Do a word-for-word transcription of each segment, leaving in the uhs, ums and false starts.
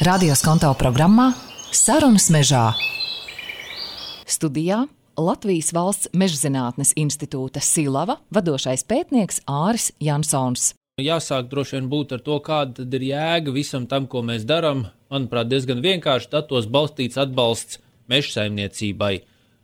Radio Skonto programmā Sarunas mežā. Studijā Latvijas Valsts Mežzinātnes institūta Silava vadošais pētnieks Āris Jansons. Jāsāk droši vien būt ar to, kāda tad ir jēga visam tam, ko mēs darām. Manuprāt, diezgan vienkārši datos balstīts atbalsts mežsaimniecībai.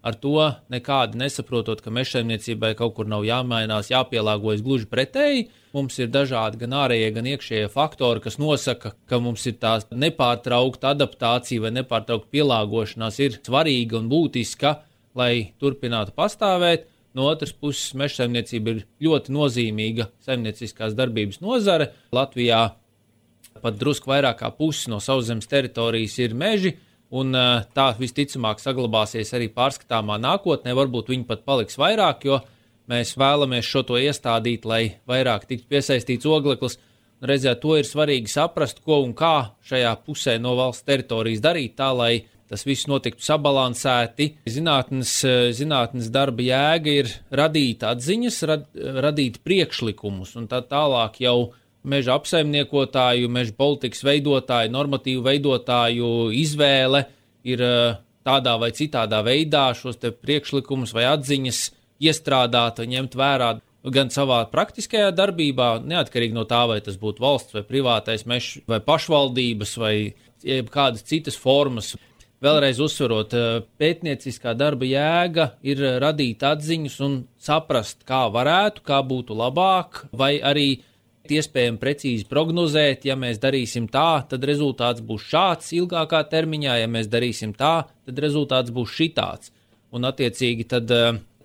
Ar to nekādi nesaprotot, ka mežsaimniecībai kaut kur nav jāmainās, jāpielāgojas, gluži pretēji. Mums ir dažādi gan ārējie, gan iekšējie faktori, kas nosaka, ka mums ir tā nepārtraukta adaptācija vai nepārtraukta pielāgošanās ir svarīga un būtiska, lai turpinātu pastāvēt. No otras puses, mežsaimniecība ir ļoti nozīmīga saimnieciskās darbības nozare. Latvijā pat drusku vairāk kā pusi no sauszemes teritorijas ir meži, un tā visticamāk saglabāsies arī pārskatāmā nākotnē. Varbūt viņi pat paliks vairāk, jo mēs vēlamies šo to iestādīt, lai vairāk tiktu piesaistīts ogleklis. Reizē to ir svarīgi saprast, ko un kā šajā pusē no valsts teritorijas darīt tā, lai tas viss notiktu sabalansēti. Zinātnes, zinātnes darba jēga ir radīt atziņas, rad, radīt priekšlikumus, un tā tālāk jau meža apsaimniekotāju, meža politikas veidotāju, normatīvu veidotāju izvēle ir tādā vai citādā veidā šos te priekšlikumus vai atziņas iestrādāt vai ņemt vērā gan savā praktiskajā darbībā, neatkarīgi no tā, vai tas būtu valsts vai privātais mežs vai pašvaldības vai kādas citas formas. Vēlreiz uzsverot, pētnieciskā darba jēga ir radīt atziņas un saprast, kā varētu, kā būtu labāk, vai arī iespējami precīzi prognozēt, ja mēs darīsim tā, tad rezultāts būs šāds ilgākā termiņā, ja mēs darīsim tā, tad rezultāts būs šitāds. Un attiecīgi tad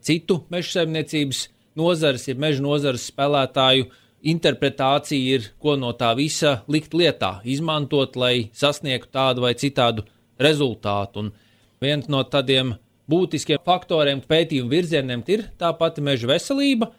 citu mežsaimniecības nozares, ja meža nozares spēlētāju interpretācija ir, ko no tā visa likt lietā, izmantot, lai sasniegtu tādu vai citādu rezultātu. Un viens no tādiem būtiskiem faktoriem, pētījumu virzieniem ir tā pati meža veselība,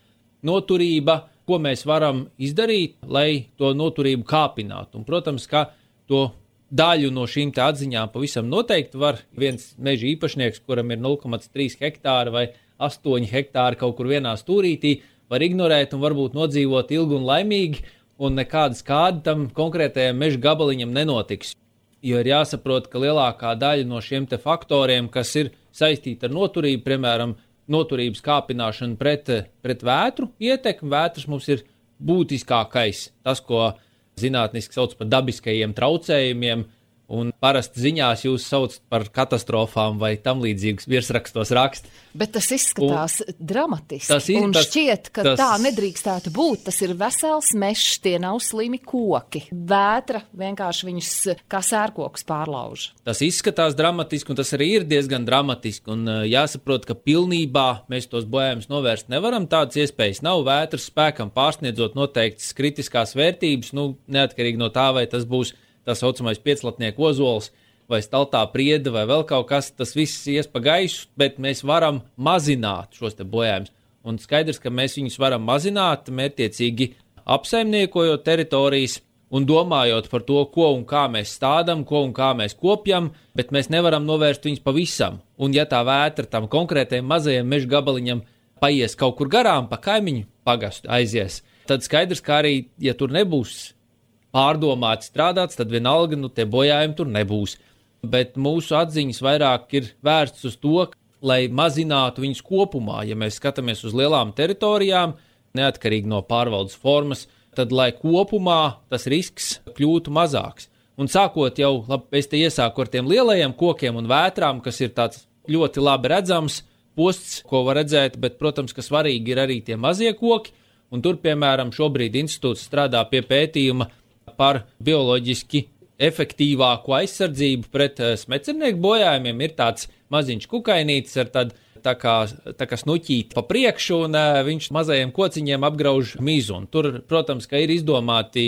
noturība, ko mēs varam izdarīt, lai to noturību kāpinātu. Un, protams, ka to daļu no šīm te atziņām pavisam noteikti var viens meža īpašnieks, kuram ir nulle komats trīs hektāri vai astoņi hektāri kaut kur vienā stūrītī, var ignorēt un varbūt nodzīvot ilgi un laimīgi, un nekāda skāda tam konkrētajam meža gabaliņam nenotiks. Jo ir jāsaprot, ka lielākā daļa no šiem te faktoriem, kas ir saistīti ar noturību, piemēram, noturības kāpināšana pret, pret vētru ietekmi. Vētras mums ir būtiskākais, tas, ko zinātniski sauc par dabiskajiem traucējumiem, un parasti ziņās jūs sauc par katastrofām vai tam līdzīgas virsrakstos rakst. Bet tas izskatās un, dramatiski, tas ir, un tas, šķiet, ka tas, tā nedrīkstētu būt. Tas ir vesels mežs, tie nav slimi koki. Vētra vienkārši viņus kā sērkokus pārlauž. Tas izskatās dramatiski, un tas arī ir diezgan dramatiski, un jāsaprot, ka pilnībā mēs tos bojājumus novērst nevaram. Tādas iespējas nav. Vētras spēkam pārsniedzot noteiktas kritiskās vērtības, nu, neatkarīgi no tā, vai tas būs tā saucamais pieclatnieku ozols vai staltā prieda vai vēl kaut kas, tas viss ies pa gaisu, bet mēs varam mazināt šos te bojājumus. Un skaidrs, ka mēs viņus varam mazināt, mērķiecīgi apsaimniekojot teritorijas un domājot par to, ko un kā mēs stādam, ko un kā mēs kopjam, bet mēs nevaram novērst viņus pavisam. Un ja tā vētra tam konkrētajam mazajam meža gabaliņam paies kaut kur garām, pa kaimiņu pagastu aizies, tad skaidrs, ka arī, ja tur nebūs pārdomāti strādāts, tad vienalga, nu, tie bojājumi tur nebūs. Bet mūsu atziņas vairāk ir vērsts uz to, lai mazinātu viņus kopumā. Ja mēs skatāmies uz lielām teritorijām, neatkarīgi no pārvaldes formas, tad, lai kopumā tas risks kļūtu mazāks. Un sākot jau, labi, es te iesāku ar tiem lielajiem kokiem un vētrām, kas ir tāds ļoti labi redzams posts, ko var redzēt, bet, protams, ka svarīgi ir arī tie mazie koki. Un tur, piemēram, šobrīd institūts strādā pie pētījuma par bioloģiski efektīvāku aizsardzību pret smecernieku bojājumiem. Ir tāds maziņš kukainītis ar tādu tā kā, tā kā snuķīti pa priekšu, un uh, viņš mazajiem kociņiem apgrauž mizu. Un tur, protams, ka ir izdomāti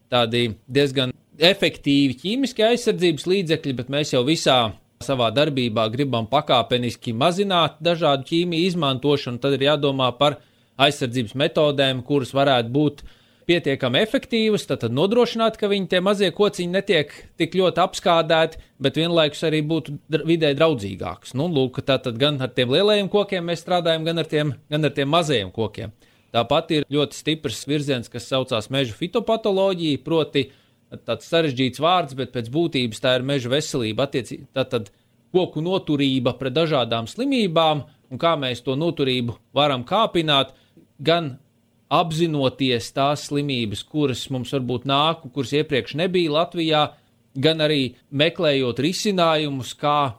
tādi diezgan efektīvi ķīmiski aizsardzības līdzekļi, bet mēs jau visā savā darbībā gribam pakāpeniski mazināt dažādu ķīmiju izmantošanu, tad ir jādomā par aizsardzības metodēm, kuras varētu būt pietiekami efektīvas, tad, tad nodrošināt, ka viņi tie mazie kociņi netiek tik ļoti apskādēti, bet vienlaikus arī būtu vidē draudzīgāks. Nu, lūk, tātad gan ar tiem lielajiem kokiem mēs strādājam, gan ar tiem, gan ar tiem mazajiem kokiem. Tāpat ir ļoti stiprs virziens, kas saucās meža fitopatoloģija, proti tāds sarežģīts vārds, bet pēc būtības tā ir meža veselība, attiecīgi, tātad koku noturība pret dažādām slimībām un kā mēs to noturību varam kāpināt, gan apzinoties tās slimības, kuras mums varbūt nāk, kuras iepriekš nebija Latvijā, gan arī meklējot risinājumus, kā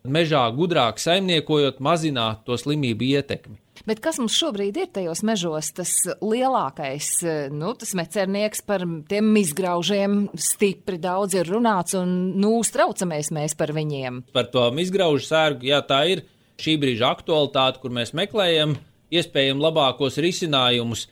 mežā gudrāk saimniekojot, mazināt to slimību ietekmi. Bet kas mums šobrīd ir tajos mežos, tas lielākais, nu, tas mecernieks par tiem izgraužiem stipri daudz ir runāts un, nu, uztraucamies mēs par viņiem. Par to izgraužu sērgu, jā, tā ir šī brīža aktualitāte, kur mēs meklējam iespējami labākos risinājumus.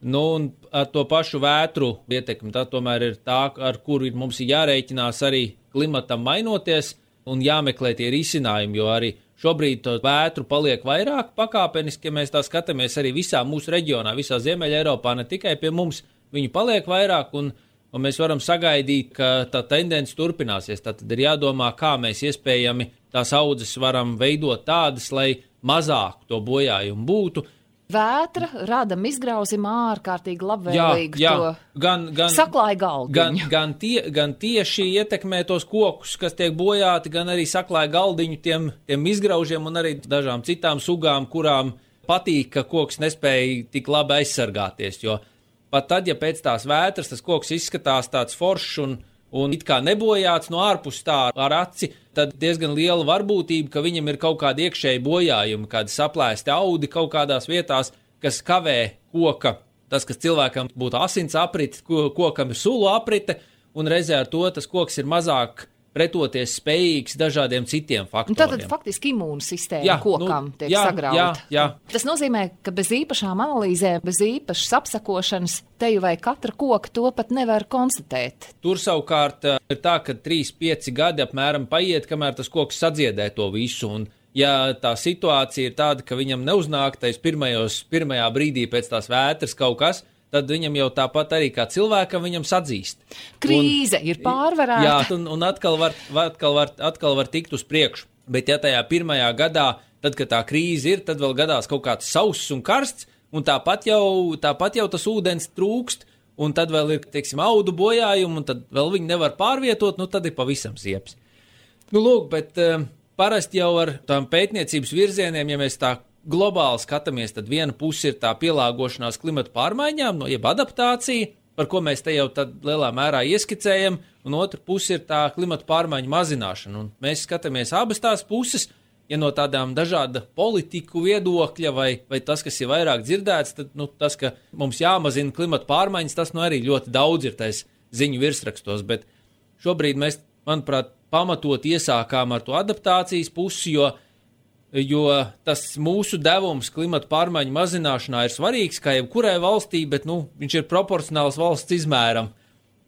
Nu, un ar to pašu vētru ietekmi, tā tomēr ir tā, ar kuru mums ir jārēķinās arī klimatam mainoties un jāmeklē tie risinājumi, jo arī šobrīd to vētru paliek vairāk pakāpeniski, ja mēs tā skatāmies arī visā mūsu reģionā, visā Ziemeļa Eiropā, ne tikai pie mums, viņu paliek vairāk un, un mēs varam sagaidīt, ka tā tendence turpināsies. Tad ir jādomā, kā mēs iespējami tās audzes varam veidot tādas, lai mazāk to bojājumu būtu. Vētra rada izgrauzim ārkārtīgi labvēlīgu jā, jā. to gan, gan, saklāja galdiņu. Gan, gan, tie, gan tieši ietekmē tos kokus, kas tiek bojāti, gan arī saklāja galdiņu tiem, tiem izgraužiem un arī dažām citām sugām, kurām patīk, ka koks nespēja tik labi aizsargāties, jo pat tad, ja pēc tās vētras tas koks izskatās tāds foršs un, un it kā nebojāts no ārpus tā ar aci, tad diezgan liela varbūtība, ka viņam ir kaut kādi iekšēji bojājumi, kādi saplēsti audi kaut kādās vietās, kas kavē koka, tas, kas cilvēkam būtu asins aprite, kokam ir sulu aprite, un reizē ar to tas koks ir mazāk pretoties spējīgs dažādiem citiem faktoriem. Tātad faktiski imūnsistēma jā, kokam nu, tiek jā, sagrauta. Jā, jā. Tas nozīmē, ka bez īpašām analīzēm, bez īpašas apsakošanas teju vai katra koka to pat nevar konstatēt. Tur savukārt ir tā, ka trīs pieci gadi apmēram paiet, kamēr tas koks sadziedē to visu, un ja tā situācija ir tāda, ka viņam neuznāk tais pirmajos, pirmajā brīdī pēc tās vētras kaut kas, tad viņam jau tāpat arī kā cilvēkam viņam sadzīst. Krīze un, ir pārvarēta. Jā, un, un atkal, var, atkal, var, atkal var tikt uz priekšu. Bet ja tajā pirmajā gadā, tad, kad tā krīze ir, tad vēl gadās kaut kāds sauss un karsts, un tāpat jau, tāpat jau tas ūdens trūkst, un tad vēl ir, teiksim, audu bojājumi, un tad vēl viņi nevar pārvietot, nu tad ir pavisam sieps. Nu, lūk, bet uh, parasti jau ar tām pētniecības virzieniem, ja mēs tā globāli skatāmies, tad viena puse ir tā pielāgošanās klimata pārmaiņām, no jeb adaptācija, par ko mēs te jau tad lielā mērā ieskicējam, un otra puse ir tā klimata pārmaiņu mazināšana. Un mēs skatāmies abas tās puses, ja no tādām dažāda politiku viedokļa vai, vai tas, kas ir vairāk dzirdēts, tad nu, tas, ka mums jāmazina klimata pārmaiņas, tas nu arī ļoti daudz ir tais ziņu virsrakstos, bet šobrīd mēs, manuprāt, pamatot iesākām ar to adaptācijas pusi, jo jo tas mūsu devums klimata pārmaiņu mazināšanā ir svarīgs, kā jebkurai valstī, bet nu, viņš ir proporcionāls valsts izmēram,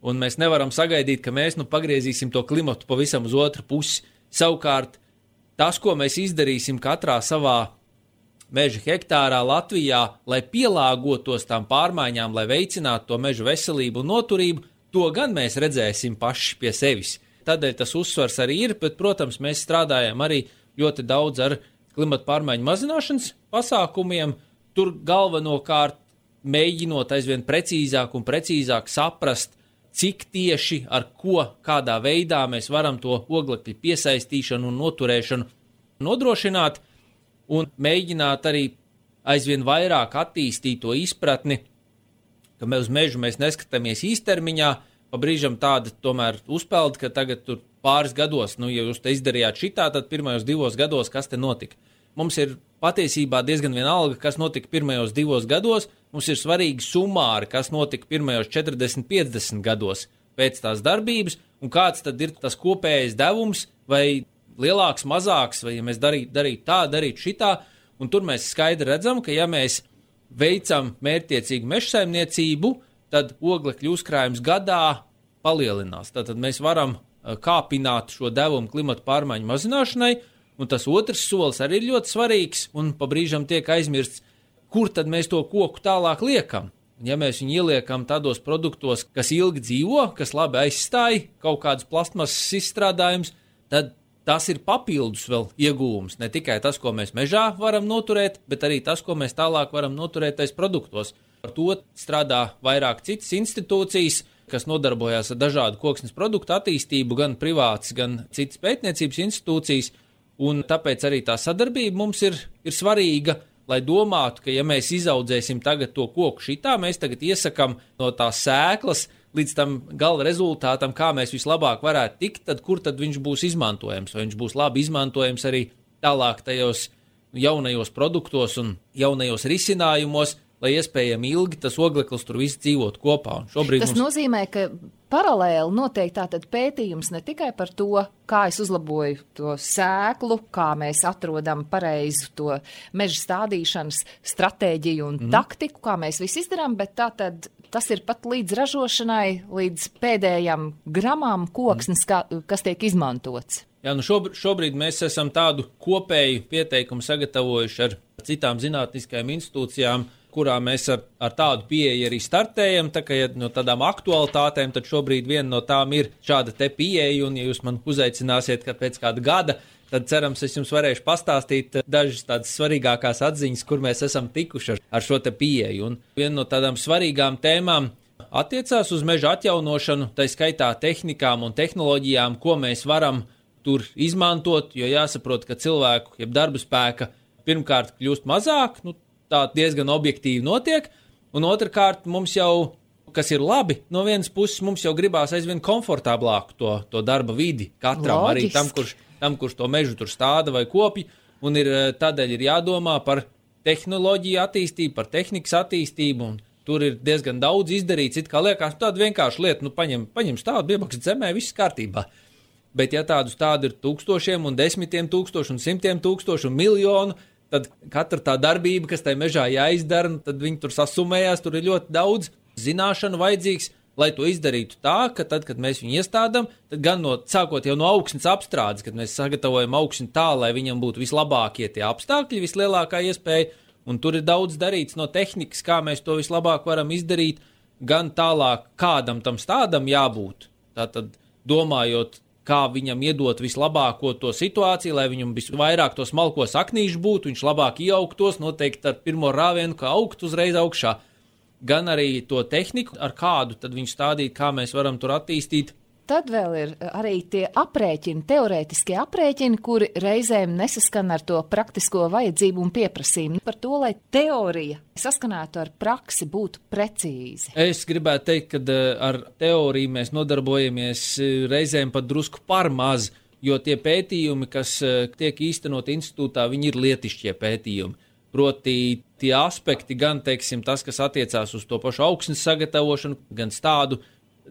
un mēs nevaram sagaidīt, ka mēs nu, pagriezīsim to klimatu pavisam uz otru pusi. Savukārt, tas, ko mēs izdarīsim katrā savā meža hektārā Latvijā, lai pielāgotos tām pārmaiņām, lai veicinātu to meža veselību un noturību, to gan mēs redzēsim paši pie sevis. Tādēļ tas uzsvars arī ir, bet, protams, mēs strādājam arī ļoti daudz ar klimata pārmaiņu mazināšanas pasākumiem, tur galvenokārt mēģinot aizvien precīzāk un precīzāk saprast, cik tieši ar ko, kādā veidā mēs varam to oglekļa piesaistīšanu un noturēšanu nodrošināt, un mēģināt arī aizvien vairāk attīstīt to izpratni, ka mēs uz mežu mēs neskatāmies īstermiņā, pa brīžam tāda tomēr uzpeld, ka tagad tur pāris gados, nu, ja jūs te izdarījāt šitā, tad pirmajos divos gados, kas te notika? Mums ir patiesībā diezgan vienalga, kas notika pirmajos divos gados, mums ir svarīgi sumāri, kas notika pirmajos četrdesmit piecdesmit gados pēc tās darbības, un kāds tad ir tas kopējais devums, vai lielāks, mazāks, vai ja mēs darītu darīt tā, darītu šitā, un tur mēs skaidri redzam, ka ja mēs veicam mērķtiecīgu mežsaimniecību, tad oglekļu uzkrājums gadā palielinās. Tātad mēs varam kāpināt šo devumu klimata pārmaiņu mazināšanai, un tas otrs solis arī ir ļoti svarīgs, un pa brīžam tiek aizmirsts, kur tad mēs to koku tālāk liekam. Ja mēs viņu ieliekam tādos produktos, kas ilgi dzīvo, kas labi aizstāja kaut kādus plastmasas izstrādājumus, tad tas ir papildus vēl iegūms. Ne tikai tas, ko mēs mežā varam noturēt, bet arī tas, ko mēs tālāk varam noturēt tais produktos. Par to strādā vairāk citas institūcijas, kas nodarbojās ar dažādu koksnes produktu attīstību, gan privāts, gan citas pētniecības institūcijas, un tāpēc arī tā sadarbība mums ir, ir svarīga, lai domātu, ka ja mēs izaudzēsim tagad to koku šitā, mēs tagad iesakam no tās sēklas līdz tam gala rezultātam, kā mēs vislabāk varētu tikt, tad kur tad viņš būs izmantojams, vai viņš būs labi izmantojams arī tālāk tajos jaunajos produktos un jaunajos risinājumos, lai iespējami ilgi tas ogleklis tur viss dzīvot kopā. Un šobrīd tas mums... nozīmē, ka paralēli notiek tātad pētījums ne tikai par to, kā es uzlaboju to sēklu, kā mēs atrodam pareizu to meža stādīšanas stratēģiju un mm. taktiku, kā mēs visu izdarām, bet tātad tas ir pat līdz ražošanai, līdz pēdējām gramām koksnes, kā, kas tiek izmantots. Jā, nu šobrīd, šobrīd mēs esam tādu kopēju pieteikumu sagatavojuši ar citām zinātniskajām institūcijām, kurā mēs ar, ar tādu pieeju arī startējam, tā kā ja no tādām aktualitātēm, tad šobrīd viena no tām ir šāda te pieeja, un ja jūs man uzaicināsiet, ka pēc kāda gada, tad cerams, es jums varēšu pastāstīt dažas tādas svarīgākās atziņas, kur mēs esam tikuši ar, ar šo te pieeju. Un viena no tādām svarīgām tēmām attiecās uz meža atjaunošanu, tai skaitā tehnikām un tehnoloģijām, ko mēs varam tur izmantot, jo jāsaprot, ka cilvēku, jeb darba spēka pirmkārt kļūst mazāk, nu, tā diezgan objektīvi notiek, un otrkārt mums jau, kas ir labi, no vienas puses mums jau gribās aizvien komfortablāku to, to darba vidi katram, Loģiski. Arī tam kurš, tam, kurš to mežu tur stāda vai kopj, un ir, tādēļ ir jādomā par tehnoloģiju attīstību, par tehnikas attīstību, un tur ir diezgan daudz izdarīts, it kā liekas tāda vienkārša lieta, nu paņem, paņem stādu, iebakst zemē, viss kārtībā. Bet ja tādu stādu ir tūkstošiem un desmitiem tūkstošu un simtiem tūkstošu un miljonu, tad katra tā darbība, kas tai mežā jāizdara, tad viņi tur sasumējās, tur ir ļoti daudz zināšanu vajadzīgs, lai to izdarītu tā, ka tad, kad mēs viņu iestādām, tad gan no, sākot jau no augsnes apstrādes, kad mēs sagatavojam augsni tā, lai viņam būtu vislabākie tie apstākļi, vislielākā iespēja, un tur ir daudz darīts no tehnikas, kā mēs to vislabāk varam izdarīt, gan tālāk, kādam tam stādam jābūt. Tātad domājot, kā viņam iedot vislabāko to situāciju, lai viņam visvairāk tos smalkos aknīšu būtu, viņš labāk ieaugtos, noteikti ar pirmo rāvienu, kā augt uzreiz augšā. Gan arī to tehniku, ar kādu tad viņu stādīt, kā mēs varam tur attīstīt. Tad vēl ir arī tie aprēķini, teorētiskie aprēķini, kuri reizēm nesaskan ar to praktisko vajadzību un pieprasījumu. Par to, lai teorija saskanētu ar praksi, būtu precīzi. Es gribētu teikt, ka ar teoriju mēs nodarbojamies reizēm pat drusku par maz, jo tie pētījumi, kas tiek īstenot institūtā, viņi ir lietišķie pētījumi. Proti tie aspekti, gan, teiksim, tas, kas attiecās uz to pašu augsnes sagatavošanu, gan stādu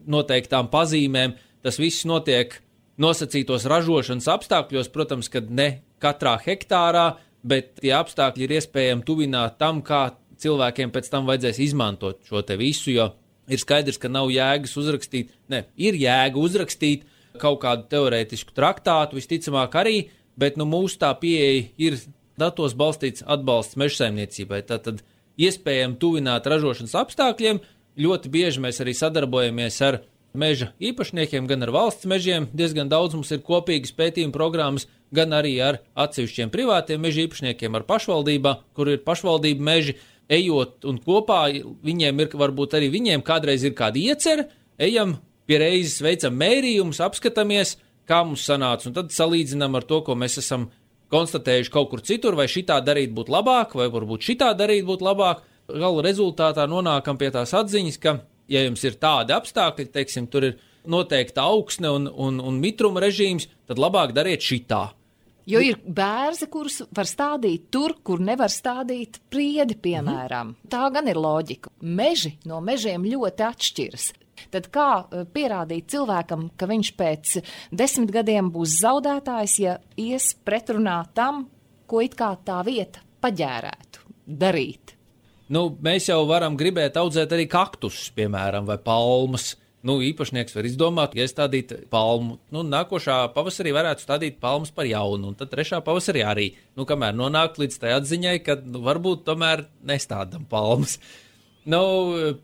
noteiktām pazīmēm, tas viss notiek nosacītos ražošanas apstākļos, protams, kad ne katrā hektārā, bet tie apstākļi ir iespējami tuvināt tam, kā cilvēkiem pēc tam vajadzēs izmantot šo te visu, jo ir skaidrs, ka nav jēgas uzrakstīt, ne, ir jēga uzrakstīt kaut kādu teorētisku traktātu, visticamāk arī, bet nu mūsu tā pieeja ir datos balstīts atbalsts mežsaimniecībai, tātad iespējami tuvināt ražošanas apstākļiem. Ļoti bieži mēs arī sadarbojamies ar meža īpašniekiem, gan ar valsts mežiem, diezgan daudz mums ir kopīgas pētījuma programmas, gan arī ar atsevišķiem privātiem meža īpašniekiem, ar pašvaldībā, kur ir pašvaldība meži, ejot un kopā viņiem ir, varbūt arī viņiem kādreiz ir kāda iecer, ejam pie reizes, veicam mērījumus, apskatāmies, kā mums sanāca, un tad salīdzinām ar to, ko mēs esam konstatējuši kaut kur citur, vai šitā darīt būtu labāk, vai varbūt šitā darīt būtu labāk. Gala rezultātā nonākam pie tās atziņas, ka, ja jums ir tādi apstākļi, teiksim, tur ir noteikta augsne un, un, un mitruma režīms, tad labāk dariet šitā. Jo ir bērzi, kurus var stādīt tur, kur nevar stādīt priedi, piemēram. Mm. Tā gan ir loģika. Meži no mežiem ļoti atšķiras. Tad kā pierādīt cilvēkam, ka viņš pēc desmit gadiem būs zaudētājs, ja ies pretrunā tam, ko it kā tā vieta paģērētu darīt? Nu, mēs jau varam gribēt audzēt arī kaktusus, piemēram, vai palmas. Nu, īpašnieks var izdomāt, ja stādīt palmu. Nu, nākošā pavasarī varētu stādīt palmas par jaunu, un tad trešā pavasarī arī. Nu, kamēr nonākt līdz tai atziņai, ka nu, varbūt tomēr nestādam palmas. Nu,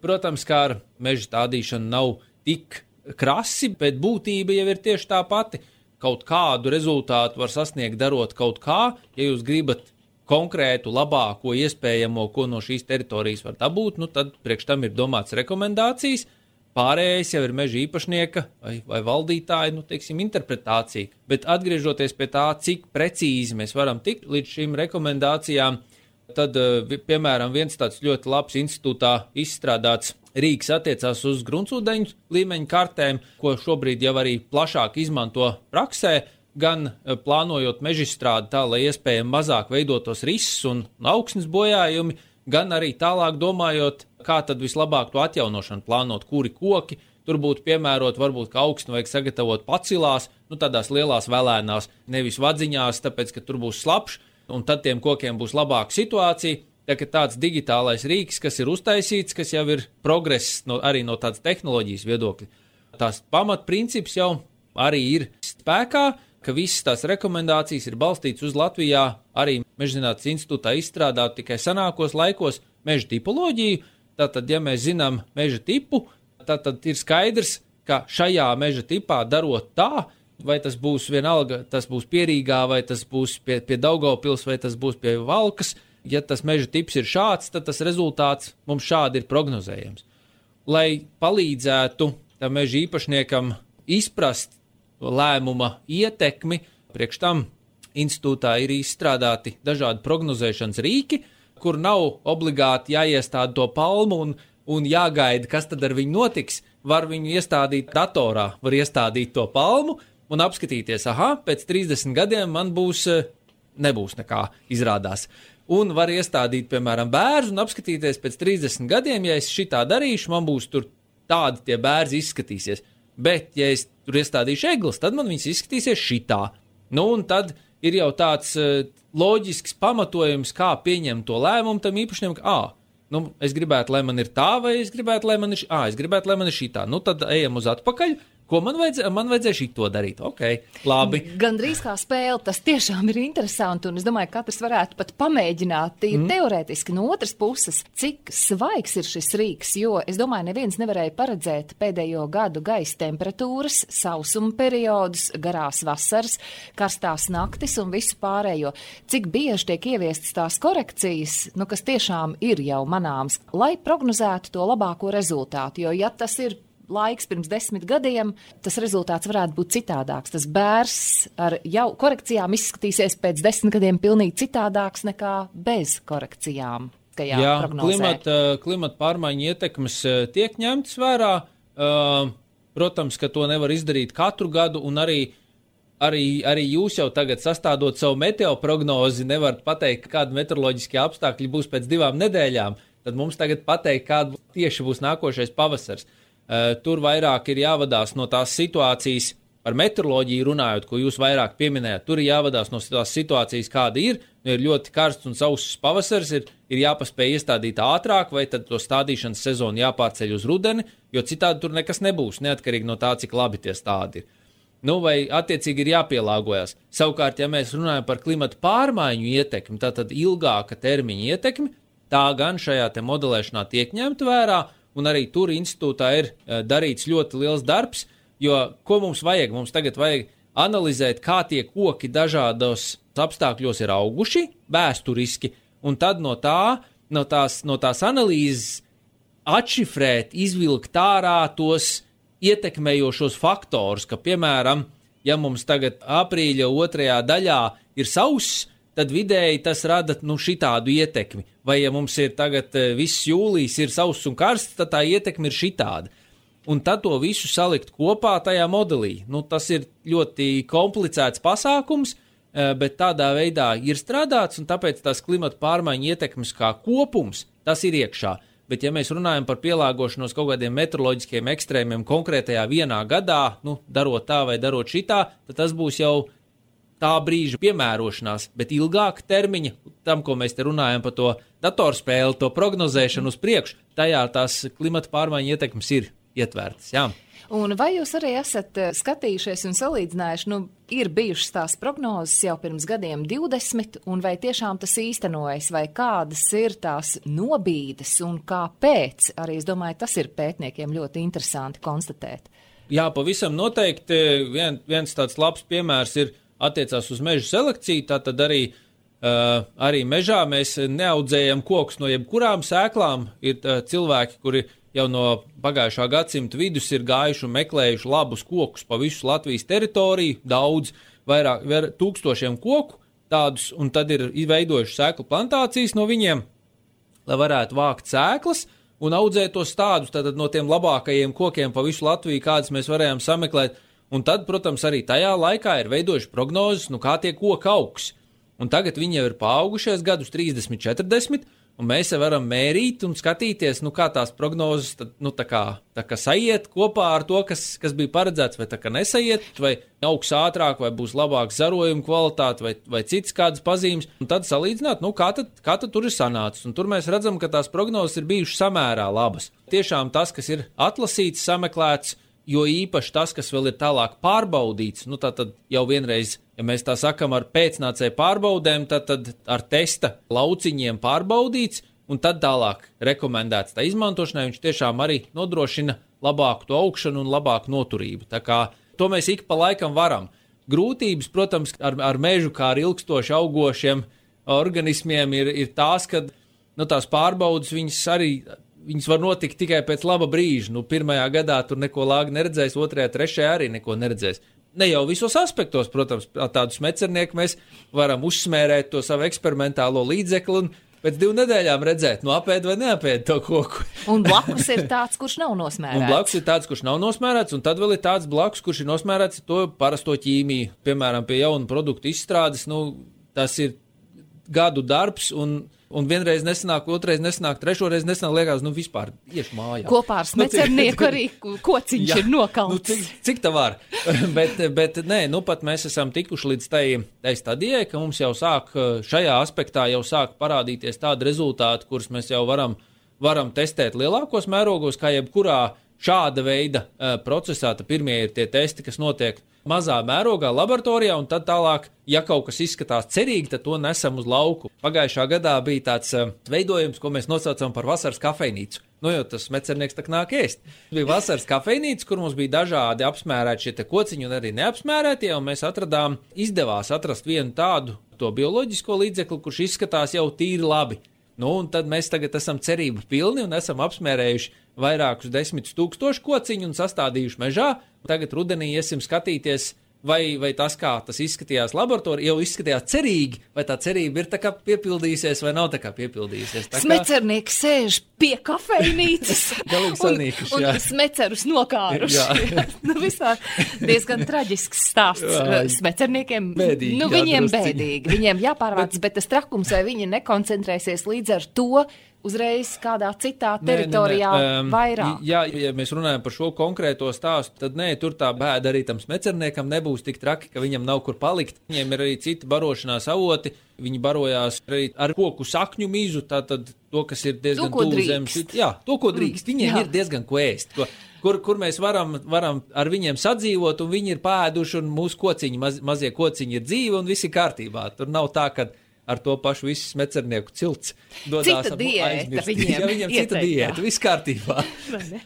protams, kā ar meža stādīšanu nav tik krasi, bet būtība jau ir tieši tā pati. Kaut kādu rezultātu var sasniegt darot kaut kā, ja jūs gribat konkrētu, labāko, iespējamo, ko no šīs teritorijas var dabūt, nu tad priekš tam ir domāts rekomendācijas, pārējais jau ir meža īpašnieka vai, vai valdītāja, nu, teiksim, interpretācija. Bet atgriežoties pie tā, cik precīzi mēs varam tikt līdz šīm rekomendācijām, tad, piemēram, viens tāds ļoti labs institūtā izstrādāts rīks attiecās uz gruntsūdeņu līmeņu kartēm, ko šobrīd jau arī plašāk izmanto praksē, gan plānojot mežizstrādi tā, lai iespējami mazāk veidotos rises un augsnes bojājumi, gan arī tālāk domājot, kā tad vislabāk to atjaunošanu plānot, kuri koki. Tur būtu piemērot, varbūt, ka augsni vajag sagatavot pacilās, nu tādās lielās velēnās, nevis vadziņās, tāpēc, ka tur būs slapš, un tad tiem kokiem būs labāka situācija. Tā kā tāds digitālais rīks, kas ir uztaisīts, kas jau ir progress no, arī no tādas tehnoloģijas viedokļa. Tās pamatprincips jau arī ir spēkā, ka visas tās rekomendācijas ir balstītas uz Latvijā arī Mežzinātnes institūtā izstrādāt tikai senākos laikos meža tipoloģiju. Tātad, ja mēs zinām meža tipu, tad ir skaidrs, ka šajā meža tipā darot tā, vai tas būs vienalga, tas būs pie Rīgā, vai tas būs pie, pie Daugavpils, vai tas būs pie Valkas. Ja tas meža tips ir šāds, tad tas rezultāts mums šādi ir prognozējams. Lai palīdzētu tam meža īpašniekam izprast lēmuma ietekmi, priekš tam institūtā ir izstrādāti dažādi prognozēšanas rīki, kur nav obligāti jāiestāda to palmu un, un jāgaida, kas tad ar viņu notiks. Var viņu iestādīt datorā, var iestādīt to palmu un apskatīties, aha, pēc trīsdesmit gadiem man būs, nebūs nekā izrādās. Un var iestādīt, piemēram, bērzu un apskatīties pēc trīsdesmit gadiem, ja es šitā darīšu, man būs tur tādi tie bērzi izskatīsies. Bet, ja es tur iestādīšu eglis, tad man viņas izskatīsies šitā. Nu, un tad ir jau tāds uh, loģisks pamatojums, kā pieņemt to lēmumu tam īpašniekam, ka, ā, nu, es gribētu, lai man ir tā, vai es gribētu, lai man ir, ā, es gribētu, lai man ir šitā. Nu, tad ejam uz atpakaļ. Ko man vajadzēja? Man vajadzēja šito darīt. Ok, labi. Gandrīz kā spēle, tas tiešām ir interesanti, un es domāju, ka katrs varētu pat pamēģināt mm. teorētiski no otras puses, cik svaigs ir šis rīks, jo es domāju, neviens nevarēja paredzēt pēdējo gadu gaisa temperatūras, sausuma periodus, garās vasaras, karstās naktis un visu pārējo. Cik bieži tiek ieviestas tās korekcijas, nu, kas tiešām ir jau manāms, lai prognozētu to labāko rezultātu, jo ja tas ir laiks pirms desmit gadiem, tas rezultāts varētu būt citādāks. Tas bērs ar jau korekcijām izskatīsies pēc desmit gadiem pilnīgi citādāks nekā bez korekcijām. Jā, klimata, klimata pārmaiņu ietekmes tiek ņemtas vērā. Protams, ka to nevar izdarīt katru gadu, un arī, arī, arī jūs jau tagad sastādot savu meteoprognozi nevarat pateikt, kādi meteoroloģiskie apstākļi būs pēc divām nedēļām. Tad mums tagad pateikt, kāda tieši būs nākošais pavasars. Uh, tur vairāk ir jāvadās no tās situācijas, par meteoroloģiju runājot, ko jūs vairāk pieminējat. Tur ir jāvadās no tās situācijas, kāda ir. Nu, ir ļoti karsts un sauss pavasars, ir, ir jāpaspēj iestādīt ātrāk, vai tad to stādīšanas sezonu jāpārceļ uz rudeni, jo citādi tur nekas nebūs, neatkarīgi no tā, cik labi tie stādi ir. Nu, vai attiecīgi ir jāpielāgojas. Savukārt, ja mēs runājam par klimata pārmaiņu ietekmi, tātad ilgāka termiņa ietekmi, tā gan šajā te modelēšanā tiek ņemta vērā, un arī tur institūtā ir darīts ļoti liels darbs, jo ko mums vajag? Mums tagad vajag analizēt, kā tie koki dažādos apstākļos ir auguši vēsturiski, un tad no, tā, no, tās, no tās analīzes atšifrēt, izvilkt ārā tos ietekmējošos faktorus, ka, piemēram, ja mums tagad aprīļa otrajā daļā ir sauss, tad vidēji tas rada nu, šitādu ietekmi. Vai ja mums ir tagad viss jūlijs ir sauss un karsts, tad tā ietekme ir šitāda. Un tad to visu salikt kopā tajā modelī. Nu, tas ir ļoti komplicēts pasākums, bet tādā veidā ir strādāts, un tāpēc tās klimata pārmaiņu ietekmes kā kopums, tas ir iekšā. Bet ja mēs runājam par pielāgošanos kaut kādiem meteoroloģiskiem ekstrēmiem konkrētajā vienā gadā, nu, darot tā vai darot šitā, tad tas būs jau tā brīža piemērošanās, bet ilgāka termiņa, tam, ko mēs te runājam par to datorspēli, to prognozēšanu uz priekšu, tajā tās klimata pārmaiņu ietekmes ir ietvērtas, jā. Un vai jūs arī esat skatījušies un salīdzinājuši, nu, ir bijušas tās prognozes jau pirms gadiem divdesmit, un vai tiešām tas īstenojas, vai kādas ir tās nobīdes un kāpēc? Arī es domāju, tas ir pētniekiem ļoti interesanti konstatēt. Jā, pavisam noteikti vien, viens tāds labs piemērs ir attiecās uz meža selekciju, tātad arī, uh, arī mežā mēs neaudzējam kokus no jebkurām sēklām. Ir uh, cilvēki, kuri jau no pagājušā gadsimta vidus ir gājuši un meklējuši labus kokus pa visu Latvijas teritoriju, daudz, vairāk, vair, tūkstošiem koku tādus, un tad ir veidojuši sēklu plantācijas no viņiem, lai varētu vākt sēklas un audzēt tos tādus, tātad no tiem labākajiem kokiem pa visu Latviju, kādas mēs varējām sameklēt. Un tad, protams, arī tajā laikā ir veidojuši prognozes, nu kā tie koki augs. Un tagad viņi jau ir paaugušies gadus trīsdesmit, četrdesmit, un mēs jau varam mērīt un skatīties, nu kā tās prognozes, tad, nu tā kā, tā kā saiet kopā ar to, kas, kas bija paredzēts, vai tā kā nesaiet, vai augs ātrāk, vai būs labāks zarojuma kvalitāte, vai, vai cits kādas pazīmes. Un tad salīdzināt, nu kā tad, kā tad tur ir sanācis. Un tur mēs redzam, ka tās prognozes ir bijušas samērā labas. Tiešām tas, kas ir atlasīts, sameklēts, jo īpaši tas, kas vēl ir tālāk pārbaudīts, nu tā tad jau vienreiz, ja mēs tā sakam ar pēcnācēju pārbaudēm, tad, tad ar testa lauciņiem pārbaudīts, un tad tālāk rekomendēts tā izmantošanai, viņš tiešām arī nodrošina labāku to augšanu un labāku noturību. Tā kā to mēs ik pa laikam varam. Grūtības, protams, ar, ar mežu kā ar ilgstoši augošiem organismiem ir, ir tās, ka nu, tās pārbaudas viņas arī viņas var notikt tikai pēc laba brīža. Nu, pirmajā gadā tur neko lāgi neredzēs, otrajā, trešajā arī neko neredzēs. Ne jau visos aspektos, protams, tādu smecernieku mēs varam uzsmērēt to savu eksperimentālo līdzekli un pēc divu nedēļām redzēt, nu apēd vai neapēd to koku. Un blakus ir tāds, kurš nav nosmērēts. Un blakus ir tāds, kurš nav nosmērēts, un tad vēl ir tāds blakus, kurš ir nosmērēts to parasto ķīmiju. Piemēram, pie jaunu produktu izstrādes, nu, tas ir gadu darbs un Un vienreiz nesanāk, otrreiz nesanāk, trešoreiz nesanāk, liekas, nu vispār iešu mājā. Kopā ar smecernieku arī kociņš jā, ir nokalts. Nu, cik, cik tā var? bet, bet nē, nu pat mēs esam tikuši līdz tai, tai stadijai, ka mums jau sāk šajā aspektā jau sāk parādīties tādi rezultāti, kurus mēs jau varam, varam testēt lielākos mērogos, kā jebkurā šāda veida uh, procesā. Tad pirmie ir tie testi, kas notiek mazā mērogā laboratorijā, un tad tālāk, ja kaut kas izskatās cerīgi, tad to nesam uz lauku. Pagājušā gadā bija tāds uh, veidojums, ko mēs nosaucam par vasaras kafejnīcu. Nu, jo tas mecernieks tak nāk ēst. Bija vasaras kafejnīca, kur mums bija dažādi apsmērēti šie te kociņi un arī neapsmērētie, un mēs atradām, izdevās atrast vienu tādu to bioloģisko līdzekli, kurš izskatās jau tīri labi. Nu, un tad mēs tagad esam cerību pilni un esam apsmērējuši vairākus desmitus tūkstošu kociņu un sastādījuši mežā. Tagad rudenī iesim skatīties, vai, vai tas, kā tas izskatījās laboratorijā, jau izskatījās cerīgi, vai tā cerība ir tā kā piepildījusies vai nav tā kā piepildījusies. Tā kā... Smecernieks sēž pie kafejnīcas un, sanīkuši, un smecerus nokāruši. Nu, vispār diezgan traģisks stāsts jā, smecerniekiem. Bēdīgi, nu, viņiem jā, bēdīgi. Viņiem jāpārvāc, bet tas trakums, vai viņi nekoncentrēsies līdz ar to, uzreiz kādā citā teritorijā nē, nē, nē. Um, vairāk. Jā, ja mēs runājam par šo konkrēto stāstu, tad nē, tur tā bēda arī tam smecerniekam nebūs tik traki, ka viņam nav kur palikt. Viņiem ir arī citi barošanās avoti, viņi barojās arī ar koku sakņu mizu, tātad to, kas ir diezgan tuvu zemes. Jā, to, ko drīkst. Viņiem jā. ir diezgan ko ēst, ko, kur, kur mēs varam, varam ar viņiem sadzīvot, un viņi ir pēduši, un mūsu kociņi, maz, mazie kociņi ir dzīvi, un viss ir kārtībā. Tur nav tā, ka ar to pašu visu smecernieku cilts dodās cita diēta viņiem. Ja viņiem cita diēta, viss kārtībā.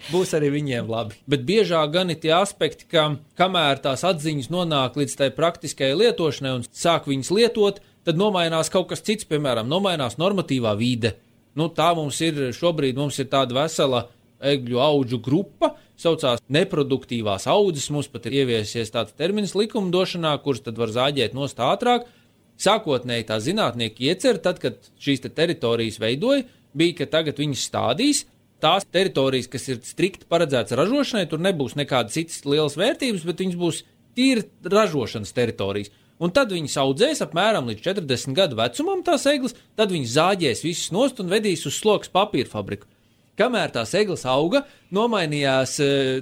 Būs arī viņiem labi. Bet biežāk gan ir tie aspekti, ka kamēr tās atziņas nonāk līdz tai praktiskajai lietošanai un sāk viņas lietot, tad nomainās kaut kas cits, piemēram, nomainās normatīvā vide. Nu, tā mums ir, šobrīd mums ir tāda vesela egļu audžu grupa, saucās neproduktīvās audzes, mums pat ir ieviesies tāds termins likumdošanā, kurš tad var zāģēt nost ātrāk. Sākotnēji tā zinātnieki iecer, tad, kad šīs te teritorijas veidoja, bija, ka tagad viņas stādīs. Tās teritorijas, kas ir strikti paredzētas ražošanai, tur nebūs nekādas citas lielas vērtības, bet viņas būs tīri ražošanas teritorijas. Un tad viņas audzēs apmēram līdz četrdesmit gadu vecumam tās eglis, tad viņas zāģēs visas nost un vedīs uz sloks papīra fabriku. Kamēr tās eglis auga, nomainījās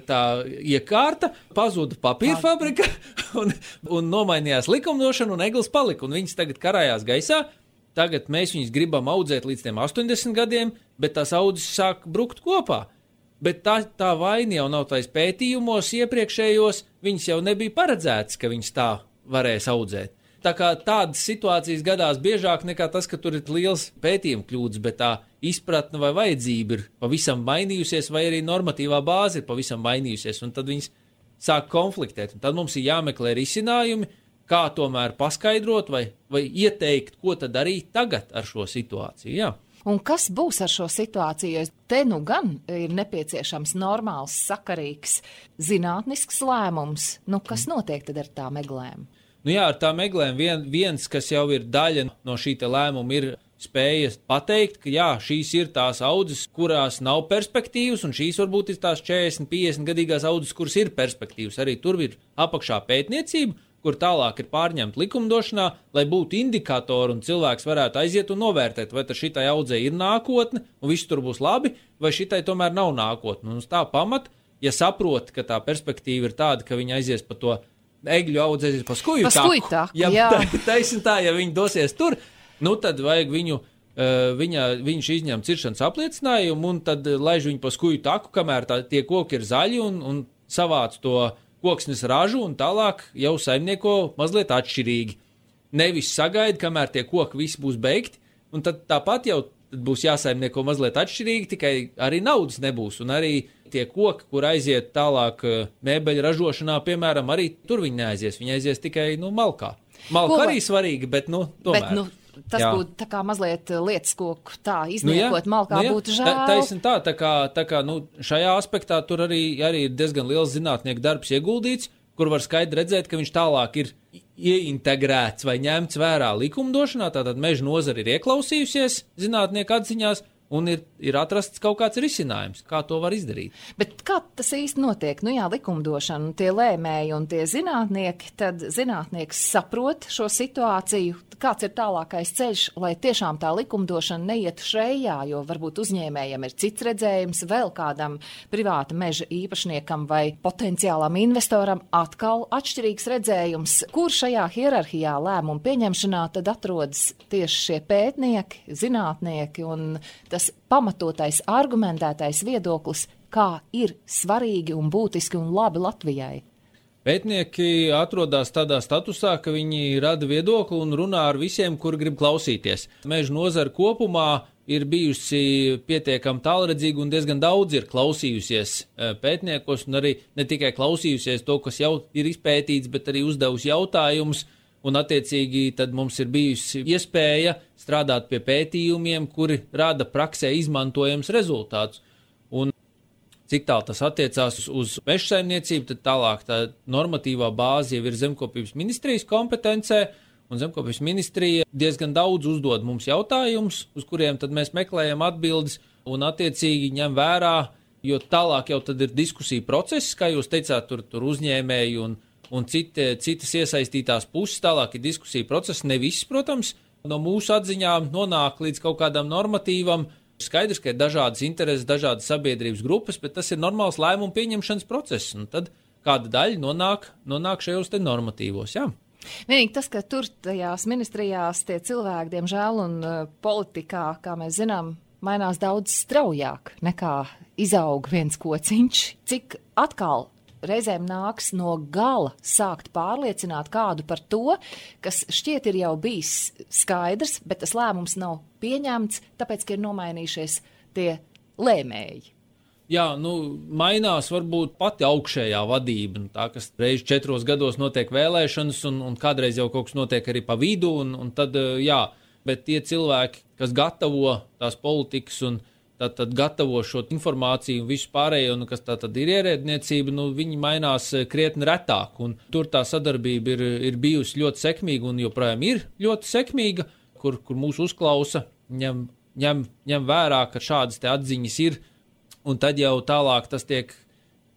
tā iekārta, pazuda papīra fabrika un, un nomainījās likumdošana un eglis palika. Un viņas tagad karājās gaisā. Tagad mēs viņus gribam audzēt līdz tiem astoņdesmit gadiem, bet tās audzes sāk brukt kopā. Bet tā, tā vaina jau nav tais pētījumos iepriekšējos, viņas jau nebija paredzētas, ka viņas tā varēs audzēt. Tā kā tādas situācijas gadās biežāk nekā tas, ka tur ir liels pētījuma kļūdas, bet tā izpratne vai vajadzība ir pavisam mainījusies, vai arī normatīvā bāze ir pavisam mainījusies, un tad viņas sāk konfliktēt. Un tad mums ir jāmeklē risinājumi, kā tomēr paskaidrot vai, vai ieteikt, ko tad darīt tagad ar šo situāciju. Jā. Un kas būs ar šo situāciju? Te nu gan ir nepieciešams normāls, sakarīgs, zinātnisks lēmums. Nu, kas notiek tad ar tām eglēm? Nu jā, ar tām eglēm vien, viens, kas jau ir daļa no šī te lēmuma, ir spēja pateikt, ka jā, šīs ir tās audzes, kurās nav perspektīvas, un šīs varbūt ir tās četrdesmit, piecdesmit gadīgās audzes, kuras ir perspektīvas. Arī tur ir apakšā pētniecība, kur tālāk ir pārņemta likumdošanā, lai būtu indikatori un cilvēks varētu aiziet un novērtēt, vai tad šitai audzei ir nākotne, un viss tur būs labi, vai šitai tomēr nav nākotne. Un uz tā pamata, ja saprot, ka tā perspektīva ir tāda, ka viņi aizies pa to egļu audzi, aizies pa skuju pa skuju taku. Ja, jā, taisn tā, ja viņi dosies tur, nu tad vajag viņu, uh, viņa, viņš izņem ciršanas apliecinājumu, un tad laiž viņu pa skuju taku, kamēr tā, tie koki ir zaļi, un, un savāc to koksnes ražu, un tālāk jau saimnieko mazliet atšķirīgi. Nevis sagaida, kamēr tie koki visi būs beigti, un tad tāpat jau būs jāsaimnieko mazliet atšķirīgi, tikai arī naudas nebūs, un arī tie koki, kur aiziet tālāk mēbeļu ražošanā, piemēram, arī tur viņi neaizies, viņi aizies tikai, nu, malkā. Malka Ko? Arī svarīga, bet, nu, tomēr. Bet, nu, tas jā. būtu tā kā mazliet lietas koku tā izniekot, nu, malkā nu, būtu žēl. Tā, taisn tā, tā kā, tā kā nu, šajā aspektā tur arī, arī ir diezgan liels zinātnieku darbs ieguldīts, kur var skaidri redzēt, ka viņš tālāk ir ieintegrēts vai ņemts vērā likumdošanā, tātad meža nozara ir ieklausījusies zinātnieku atziņās, un ir, ir atrasts kaut kāds risinājums, kā to var izdarīt. Bet kā tas īsti notiek? Nu jā, likumdošana, tie lēmēji un tie zinātnieki, tad zinātnieks saprot šo situāciju, kāds ir tālākais ceļš, lai tiešām tā likumdošana neietu šrejā, jo varbūt uzņēmējam ir cits redzējums, vēl kādam privāta meža īpašniekam vai potenciālam investoram atkal atšķirīgs redzējums. Kur šajā hierarhijā lēmumu pieņemšanā tad atrodas tieši šie pētnieki, zinātnieki un tas pamatotais, argumentētais viedoklis, kā ir svarīgi un būtiski un labi Latvijai? Pētnieki atrodas tādā statusā, ka viņi rada viedokli un runā ar visiem, kuri grib klausīties. Meža nozara kopumā ir bijusi pietiekami tālredzīga un diezgan daudz ir klausījusies pētniekos un arī ne tikai klausījusies to, kas jau ir izpētīts, bet arī uzdevusi jautājumus. Un, attiecīgi, tad mums ir bijusi iespēja strādāt pie pētījumiem, kuri rada praksē izmantojams rezultātus. Un cik tālu tas attiecās uz, uz meža saimniecību, tad tālāk tā normatīvā bāze jau ir Zemkopības ministrijas kompetencē, un Zemkopības ministrija diezgan daudz uzdod mums jautājumus, uz kuriem tad mēs meklējam atbildes un, attiecīgi, ņem vērā, jo tālāk jau tad ir diskusija process, kā jūs teicāt, tur, tur uzņēmēji un un citi, citas iesaistītās puses, tālāk ir diskusija process, ne viss, protams, no mūsu atziņām nonāk līdz kaut kādam normatīvam. Skaidrs, ka ir dažādas intereses, dažādas sabiedrības grupas, bet tas ir normāls lēmumu pieņemšanas process, un tad kāda daļa nonāk, nonāk šajos te normatīvos, jā. Vienīgi tas, ka tur tajās ministrijās tie cilvēki, diemžēl, un uh, politikā, kā mēs zinām, mainās daudz straujāk nekā izaug viens kociņš, cik atkal reizēm nāks no gala sākt pārliecināt kādu par to, kas šķiet ir jau bijis skaidrs, bet tas lēmums nav pieņemts, tāpēc, ka ir nomainījušies tie lēmēji. Jā, nu, mainās varbūt pati augšējā vadība, nu, tā, kas reiz četros gados notiek vēlēšanas, un, un kādreiz jau kaut kas notiek arī pa vidu, un, un tad, jā, bet tie cilvēki, kas gatavo tās politikas un Tad, tad gatavo šo informāciju un visu pārējo, nu, kas tā tad ir ierēdniecība, nu, viņi mainās krietni retāk. Un tur tā sadarbība ir, ir bijusi ļoti sekmīga un joprojām ir ļoti sekmīga, kur, kur mūs uzklausa, ņem, ņem, ņem vērā, ka šādas te atziņas ir, un tad jau tālāk tas tiek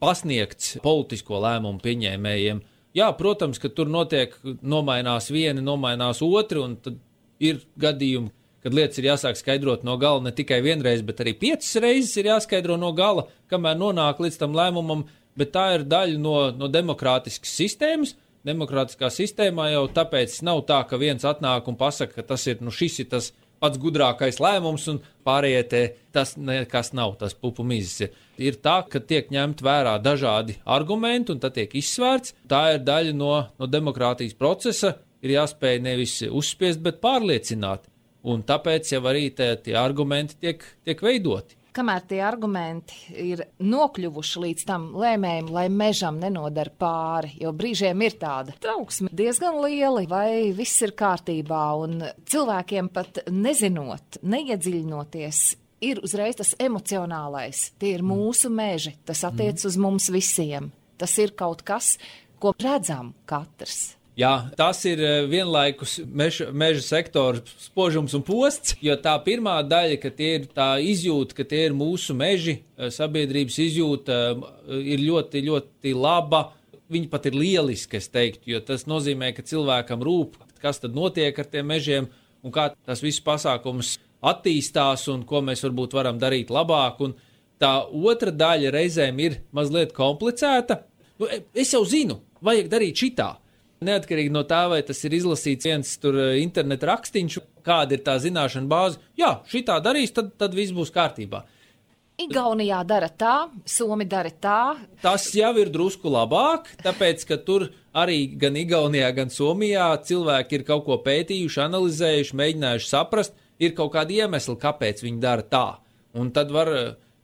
pasniegts politisko lēmumu pieņēmējiem. Jā, protams, ka tur notiek, nomainās vieni, nomainās otri, un tad ir gadījumi, kad lietas ir jāsāk skaidrot no gala ne tikai vienreiz, bet arī piecas reizes ir jāskaidro no gala, kamēr nonāk līdz tam lēmumam, bet tā ir daļa no, no demokrātiskas sistēmas. Demokrātiskā sistēmā jau tāpēc nav tā, ka viens atnāk un pasaka, ka tas ir, nu šis ir tas pats gudrākais lēmums un pārējie te tas nekas nav, tas pupu mizis ir. Ir tā, ka tiek ņemt vērā dažādi argumenti un tad tiek izsvērts. Tā ir daļa no, no demokrātijas procesa, ir jāspēj nevis uzspiest, bet pārliecināt. Un tāpēc jau arī tie, tie argumenti tiek, tiek veidoti. kamēr tie argumenti ir nokļuvuši līdz tam lēmējiem, lai mežam nenodara pāri, jo brīžiem ir tāda trauksme diezgan liela, vai viss ir kārtībā, un cilvēkiem pat nezinot, neiedziļinoties, ir uzreiz tas emocionālais. Tie ir mūsu meži, tas attiec uz mums visiem. Tas ir kaut kas, ko redzam katrs. Jā, tas ir vienlaikus meža, meža sektora spožums un posts, jo tā pirmā daļa, ka tie ir tā izjūta, ka tie ir mūsu meži, sabiedrības izjūta ir ļoti, ļoti laba. Viņi pat ir lieliski, es teiktu, jo tas nozīmē, ka cilvēkam rūp, kas tad notiek ar tiem mežiem un kā tas viss pasākums attīstās un ko mēs varbūt varam darīt labāk. Un tā otra daļa reizēm ir mazliet komplicēta. Nu, es jau zinu, vajag darīt šitā. Neatkarīgi no tā, vai tas ir izlasīts viens tur interneta rakstīņš, kāda ir tā zināšana bāze. Jā, šitā darīs, tad, tad viss būs kārtībā. Igaunijā dara tā, Somi dara tā. Tas jau ir drusku labāk, tāpēc, ka tur arī gan Igaunijā, gan Somijā cilvēki ir kaut ko pētījuši, analizējuši, mēģinājuši saprast, ir kaut kādi iemesli, kāpēc viņi dara tā. Un tad var,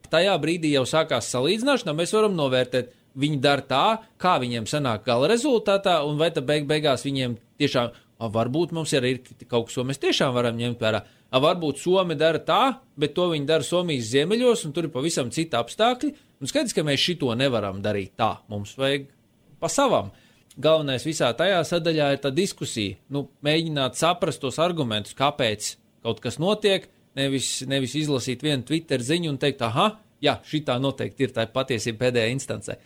tajā brīdī jau sākās salīdzināšana, mēs varam novērtēt, viņi dara tā, kā viņiem sanāk gala rezultātā, un vai tad beig beigās viņiem tiešām, a, varbūt mums arī ir kaut kas, ko mēs tiešām varam ņemt vērā. A, varbūt Somi dara tā, bet to viņi dara Somijas ziemeļos, un tur ir pavisam cita apstākļi, un skaidrs, ka mēs šito nevaram darīt tā. Mums vajag pa savam. Galvenais visā tajā sadaļā ir tā diskusija, nu, mēģināt saprast tos argumentus, kāpēc kaut kas notiek, nevis, nevis izlasīt vienu Twitter ziņu un teikt, aha, jā, šitā noteikti ir tā patiesība pēdējā instancē.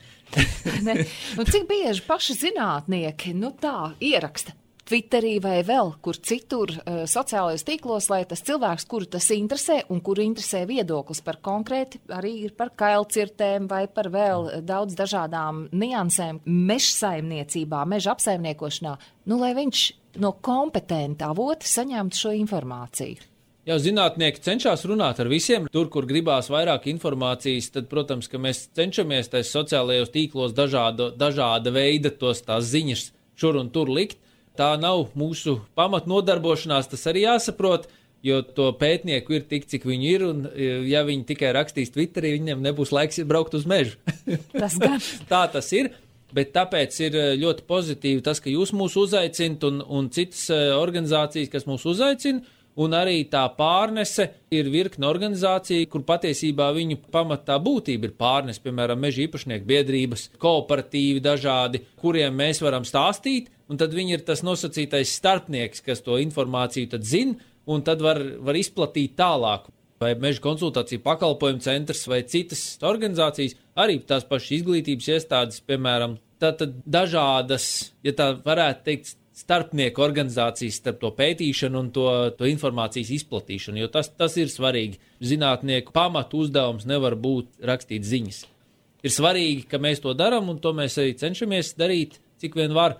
ne, nu, cik bieži paši zinātnieki nu tā ieraksta Twitterī vai vēl kur citur uh, sociālajos tīklos, lai tas cilvēks, kuru tas interesē un kuru interesē viedoklis par konkrēti, arī ir par kailcirtēm vai par vēl daudz dažādām niansēm mežsaimniecībā, meža apsaimniekošanā, nu, lai viņš no kompetenta avota saņemtu šo informāciju. Jā, zinātnieki cenšas runāt ar visiem. Tur, kur gribās vairāk informācijas, tad, protams, ka mēs cenšamies tais sociālajos tīklos dažāda, dažāda veida tos tās ziņas šur un tur likt. Tā nav mūsu pamatnodarbošanās, tas arī jāsaprot, jo to pētnieku ir tik, cik viņi ir, un ja viņi tikai rakstīs Twitterī, viņiem nebūs laiks braukt uz mežu. Tas gan. Tā tas ir. Bet tāpēc ir ļoti pozitīvi tas, ka jūs mūs uzaicinat un, un citas organizācijas, kas mūs uzaicina. Un arī tā pārnese ir virkne organizācija, kur patiesībā viņu pamatā būtība ir pārnese, piemēram, meža īpašnieku biedrības, kooperatīvi dažādi, kuriem mēs varam stāstīt, un tad viņi ir tas nosacītais starpnieks, kas to informāciju tad zina, un tad var, var izplatīt tālāk. Vai meža konsultāciju pakalpojumu centrs vai citas organizācijas, arī tās pašas izglītības iestādes, piemēram, tātad dažādas, ja tā varētu teikt, starpnieku organizācijas starp to pētīšanu un to, to informācijas izplatīšanu, jo tas, tas ir svarīgi. Zinātnieku pamatu uzdevums nevar būt rakstīt ziņas. Ir svarīgi, ka mēs to darām, un to mēs arī cenšamies darīt, cik vien var,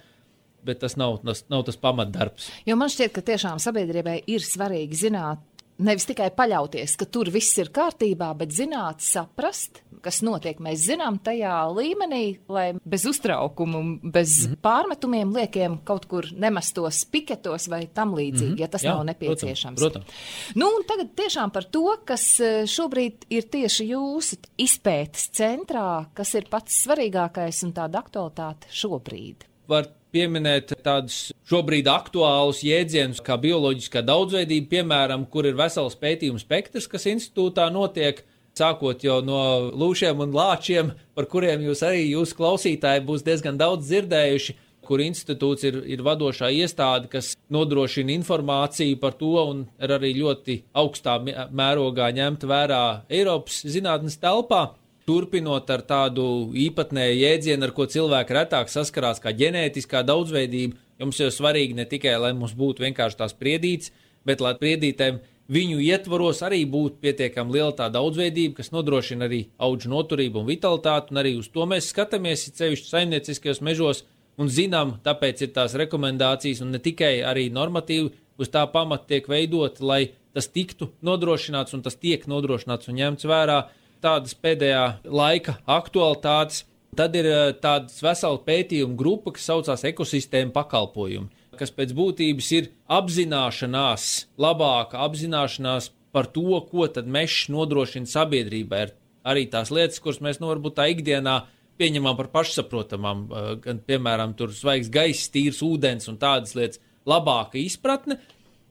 bet tas nav, tas, nav tas pamatdarbs. Jo man šķiet, ka tiešām sabiedrībai ir svarīgi zināt, nevis tikai paļauties, ka tur viss ir kārtībā, bet zināt, saprast, kas notiek. Mēs zinām tajā līmenī, lai bez uztraukumu, bez mm-hmm. pārmetumiem liekiem kaut kur nemestos piketos vai tam līdzīgi, mm-hmm. ja tas Jā, nav nepieciešams. Protams, protams. Nu, un tagad tiešām par to, kas šobrīd ir tieši jūsu izpētes centrā, kas ir pats svarīgākais un tāda aktualitāte šobrīd. Var pieminēt tādus šobrīd aktuālus jēdzienus kā bioloģiskā daudzveidība, piemēram, kur ir vesels pētījumu spektrs, kas institūtā notiek, sākot jau no lūšiem un lāčiem, par kuriem jūs arī jūs klausītāji būs diezgan daudz dzirdējuši, kur institūts ir, ir vadošā iestāde, kas nodrošina informāciju par to un ir arī ļoti augstā mērogā ņemt vērā Eiropas zinātnes telpā. Turpinot ar tādu īpatnēju jēdzienu, ar ko cilvēki retāk saskarās kā ģenētiskā daudzveidība, jums jau svarīgi ne tikai, lai mums būtu vienkārši tās priedītes, bet lai priedītēm viņu ietvaros arī būtu pietiekami liela tā daudzveidība, kas nodrošina arī audžu noturību un vitalitāti, un arī uz to mēs skatāmies, sevišķi saimnieciskajos mežos, un zinām, tāpēc ir tās rekomendācijas, un ne tikai arī normatīvi uz tā pamata tiek veidot, lai tas tiktu nodrošināts, un tas tiek nodrošināts un ņemts vērā. Tādas pēdējā laika aktualitātes, tad ir tādas vesela pētījuma grupa, kas saucās ekosistēma pakalpojumi, kas pēc būtības ir apzināšanās, labāka apzināšanās par to, ko tad mežs nodrošina sabiedrībai. Ir arī tās lietas, kuras mēs nu varbūt tā ikdienā pieņemam par pašsaprotamām, gan, piemēram, tur svaigs gaiss, tīrs ūdens un tādas lietas, labāka izpratne.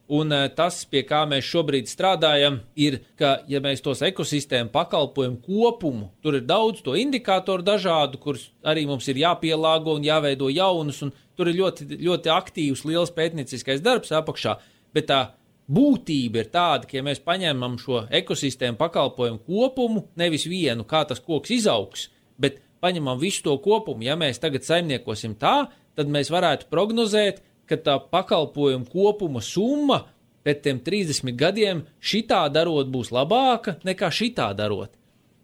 Un tas, pie kā mēs šobrīd strādājam, ir, ka, ja mēs tos ekosistēmu pakalpojumu kopumu, tur ir daudz to indikātoru dažādu, kurus arī mums ir jāpielāgo un jāveido jaunus, un tur ir ļoti, ļoti aktīvs, liels pētnieciskais darbs apakšā, bet tā būtība ir tāda, ka, ja mēs paņemam šo ekosistēmu pakalpojumu kopumu, nevis vienu, kā tas koks izaugs, bet paņemam visu to kopumu, ja mēs tagad saimniekosim tā, tad mēs varētu prognozēt, ka tā pakalpojuma kopuma summa pēc tiem trīsdesmit gadiem šitā darot būs labāka nekā šitā darot.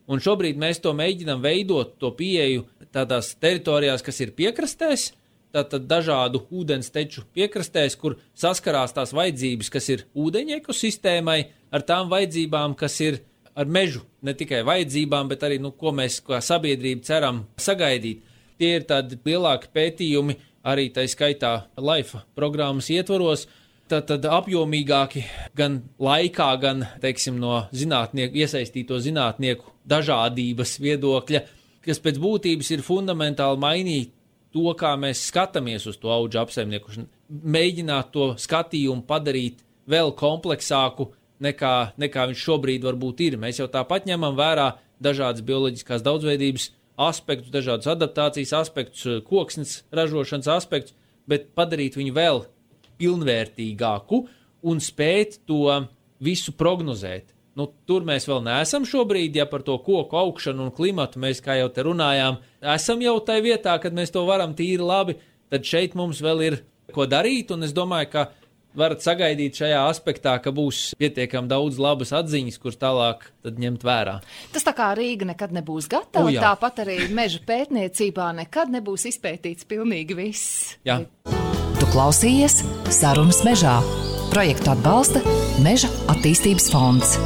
Un šobrīd mēs to mēģinam veidot, to pieeju tādās teritorijās, kas ir piekrastēs, tātad dažādu ūdens teču piekrastēs, kur saskarās tās vajadzības, kas ir ūdeņa ekosistēmai, ar tām vajadzībām, kas ir ar mežu, ne tikai vajadzībām, bet arī, nu, ko mēs kā sabiedrība ceram sagaidīt. Tie ir tādi lielāki pētījumi, arī tā skaitā LIFE programmas ietvaros, tad, tad apjomīgāki gan laikā, gan, teiksim, no zinātnieku, iesaistīto zinātnieku dažādības viedokļa, kas pēc būtības ir fundamentāli mainīt to, kā mēs skatāmies uz to audžu apsaimniekošanu, mēģināt to skatījumu padarīt vēl kompleksāku, nekā, nekā viņš šobrīd varbūt ir. Mēs jau tāpat ņemam vērā dažādas bioloģiskās daudzveidības aspektus, dažādus adaptācijas aspektus, koksnes ražošanas aspektus, bet padarīt viņu vēl pilnvērtīgāku un spēt to visu prognozēt. Nu, tur mēs vēl neesam šobrīd, ja par to koku augšanu un klimatu mēs, kā jau te runājām, esam jau tai vietā, kad mēs to varam tīri labi, tad šeit mums vēl ir ko darīt, un es domāju, ka varat sagaidīt šajā aspektā, ka būs pietiekami daudz labas atziņas, kuras tālāk tad ņemt vērā. Tas tā kā Rīga nekad nebūs gatava, o, tāpat arī meža pētniecībā nekad nebūs izpētīts pilnīgi viss. Jā. Tu klausījies Sarunas mežā. Projektu atbalsta Meža attīstības fonds.